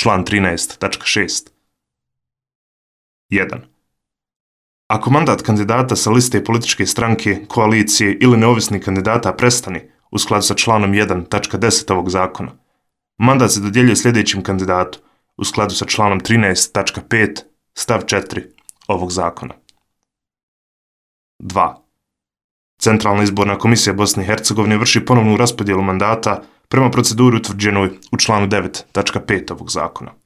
član 13.6. 1. Ako mandat kandidata sa liste političke stranke, koalicije ili neovisnih kandidata prestane u skladu sa članom 1.10 ovog zakona, mandat se dodjeljuje sljedećim kandidatu u skladu sa članom 13.5 stav 4 ovog zakona. 2. Centralna izborna komisija Bosne i Hercegovine vrši ponovnu raspodjelu mandata prema proceduri utvrđenoj u članu 9.5 ovog zakona.